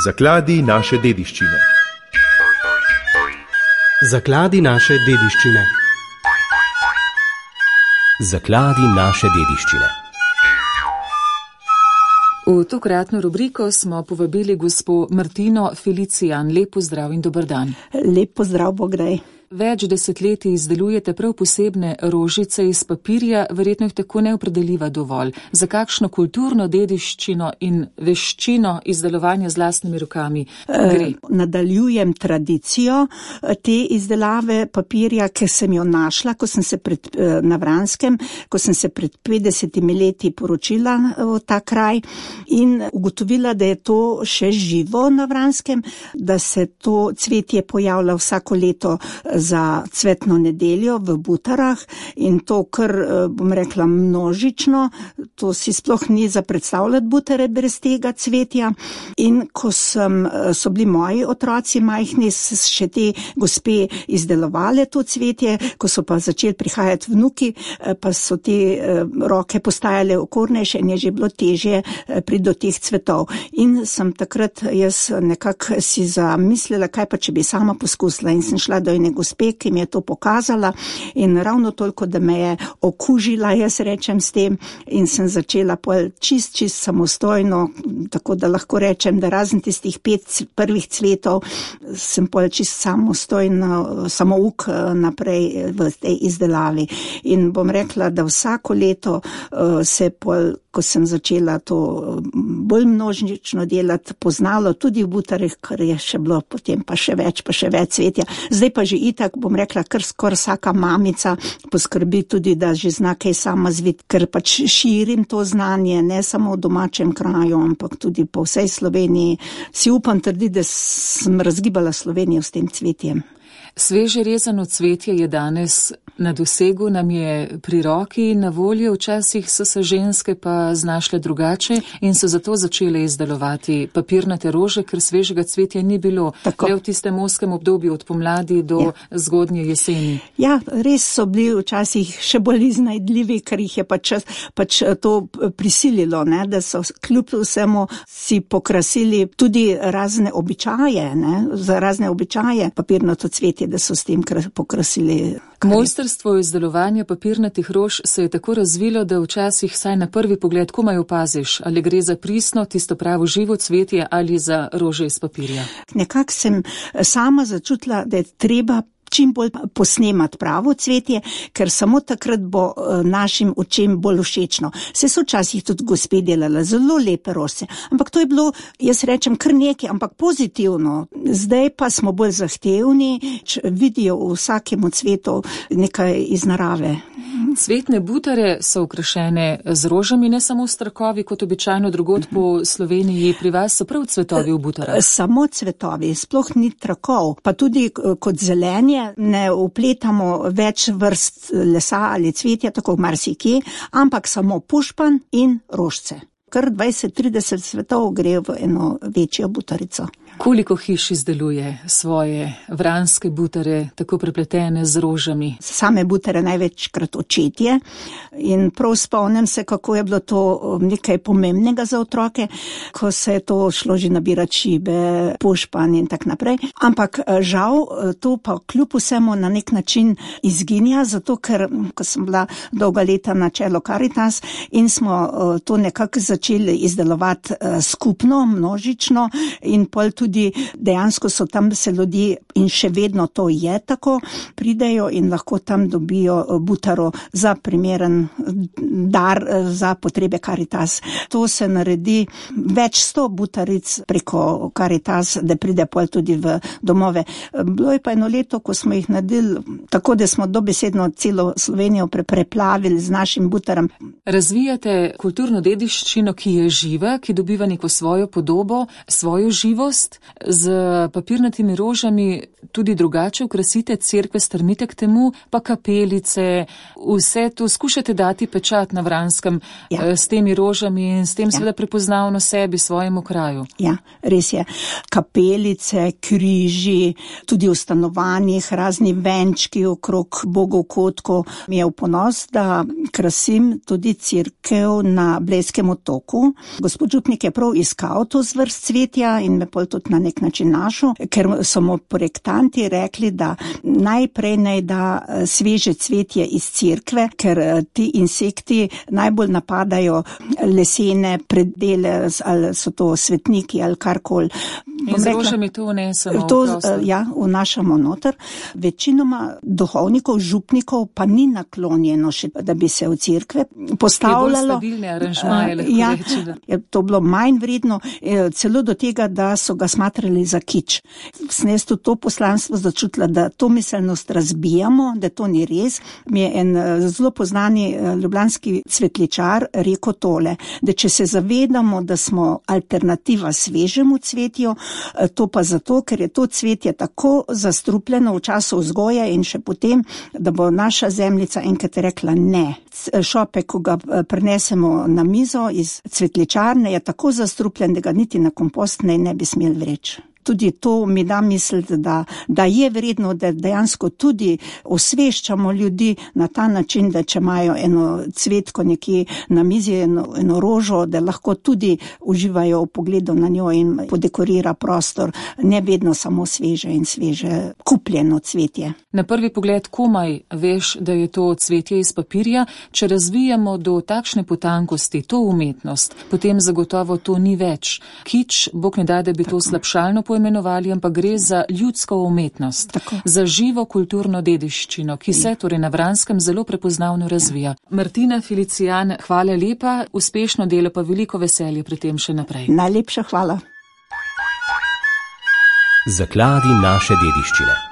Zakladi naše dediščine. Zakladi naše dediščine. Zakladi naše dediščine. V tokratno rubriko smo povabili gospo Martino Felicijan. Lep pozdrav in dober dan. Lep pozdrav, Bogdaj. Več desetletij izdelujete prav posebne rožice iz papirja, verjetno jih tako ne opredeliva dovolj. Za kakšno kulturno dediščino in veščino izdelovanja z lastnimi rokami gre? Nadaljujem tradicijo te izdelave papirja, ker sem jo našla, ko sem se na Vranskem, ko sem se pred 50 leti poročila v ta kraj in ugotovila, da je to še živo na Vranskem, da se to cvetje pojavlja vsako leto za cvetno nedeljo v Butarah in to kar, bom rekla, množično, to si sploh ni za predstavljati Butare brez tega cvetja. In ko so bili moji otroci majhni, še te gospe izdelovale to cvetje, ko so pa začeli prihajati vnuki, pa so te roke postajale okornejše in je že bilo težje priti do teh cvetov. In sem takrat jaz nekako si zamislila, kaj pa če bi sama poskusila in sem šla do ene gospe, ki mi je to pokazala in ravno toliko, da me je okužila, jaz rečem s tem, in sem začela čist samostojno, tako da lahko rečem, da razen tistih 5 prvih cvetov sem čist samostojno, samouk naprej v tej izdelavi. In bom rekla, da vsako leto se ko sem začela to bolj množično delati, poznalo tudi v Butarih, kar je še bilo potem pa še več cvetja. Zdaj pa že itak, bom rekla, kar skoraj vsaka mamica poskrbi tudi, da že zna kaj sama zviti, ker pač širim to znanje, ne samo v domačem kraju, ampak tudi po vsej Sloveniji. Si upam trditi, da sem razgibala Slovenijo s tem cvetjem. Sveže rezano cvetje je danes na dosegu, nam je pri roki na voljo, včasih so se ženske pa znašle drugače in so zato začele izdelovati papirnate rože, ker svežega cvetja ni bilo. Tako. Le v tistem ozkem obdobju od pomladi do zgodnje jeseni. Ja, res so bili včasih še bolj iznajdljivi, ker jih je pač to prisililo, ne, da so kljub vsemu si pokrasili tudi razne običaje, za razne običaje papirnato cvetje, da so s tem pokrasili. Mojstrstvo izdelovanja papirnatih rož se je tako razvilo, da včasih vsaj na prvi pogled komaj opaziš, ali gre za pristno, tisto pravo živo cvetje ali za rože iz papirja. Nekako sem sama začutila, da je treba čim bolj posnemati pravo cvetje, ker samo takrat bo našim očem bolj všečno. Se so včasih tudi gospe delale zelo lepe rože, ampak to je bilo, jaz rečem, kar nekaj, ampak pozitivno. Zdaj pa smo bolj zahtevni, vidijo v vsakemu cvetu nekaj iz narave. Cvetne butare so okrašene z rožami, ne samo s trakovi, kot običajno drugod po Sloveniji. Pri vas so prav cvetovi v butarah? Samo cvetovi, sploh ni trakov, pa tudi kot zelenje ne upletamo več vrst lesa ali cvetja, tako marsikje, ampak samo pušpan in rožce. Kar 20-30 cvetov gre v eno večjo butarico. Koliko hiš izdeluje svoje vranske butare, tako prepletene z rožami? Same butare največkrat očetje in prav spomnim se, kako je bilo to nekaj pomembnega za otroke, ko se je to šlo že nabirati šibe, pušpan in tak naprej. Ampak žal to pa kljub vsemu na nek način izginja, zato ker, ko sem bila dolga leta na čelu Karitas in smo to nekako začeli izdelovati skupno, množično in pol tudi dejansko so tam se ljudje in še vedno to je tako, pridejo in lahko tam dobijo butaro za primeren dar za potrebe Karitas. To se naredi več 100 butaric preko Karitas, da pride pol tudi v domove. Bilo je pa eno leto, ko smo jih naredili tako, da smo dobesedno celo Slovenijo preplavili z našim butarom. Razvijate kulturno dediščino, ki je živa, ki dobiva neko svojo podobo, svojo živost. Z papirnatimi rožami tudi drugače okrasite cerkve, strmite k temu, pa kapelice, vse to skušate dati pečat na Vranskem s temi rožami in s tem seveda prepoznavno sebi, svojemu kraju. Ja, res je. Kapelice, križi, tudi v stanovanjih, razni venčki okrog Bogov kotkov. Mi je v ponos, da krasim tudi cerkev na Blejskem otoku. Loku. Gospod župnik je prav iskal to zvrst cvetja in me pol tudi na nek način našel, ker so mu projektanti rekli, da najprej naj da sveže cvetje iz cerkve, ker ti insekti najbolj napadajo lesene predele, ali so to svetniki ali karkoli. In z rožami to vnesemo v prostor. Ja, vnašamo noter. Večinoma duhovnikov, župnikov pa ni naklonjeno še, da bi se v cerkve postavljalo. Je bolj stabilne aranžmaje, lahko reči. Je to bilo manj vredno, celo do tega, da so ga smatrali za kič. Sem jaz to poslanstvo začutila, da to miselnost razbijamo, da to ni res. Mi je en zelo poznani ljubljanski cvetličar rekel tole, da če se zavedamo, da smo alternativa svežemu cvetju, to pa zato, ker je to cvetje tako zastrupljeno v času vzgoje in še potem, da bo naša zemljica enkrat rekla ne. Šopek, ko ga prinesemo na mizo iz cvetličarne, je tako zastrupljen, da ga niti na kompost ne bi smeli vreči. Tudi to mi da misliti, da je vredno, da dejansko tudi osveščamo ljudi na ta način, da če imajo eno cvetko nekje na mizi, eno rožo, da lahko tudi uživajo v pogledu na njo in podekorira prostor, ne vedno samo sveže in sveže kupljeno cvetje. Na prvi pogled komaj veš, da je to cvetje iz papirja, če razvijamo do takšne potankosti to umetnost, potem zagotovo to ni več. Kič, Bog ne da, da bi to slabšalno poimenovali, ampak gre za ljudsko umetnost, tako, za živo kulturno dediščino, ki se torej na Vranskem zelo prepoznavno razvija. Martina Felicijan, hvala lepa, uspešno delo pa veliko veselje pri tem še naprej. Najlepša hvala. Zakladi naše dediščine.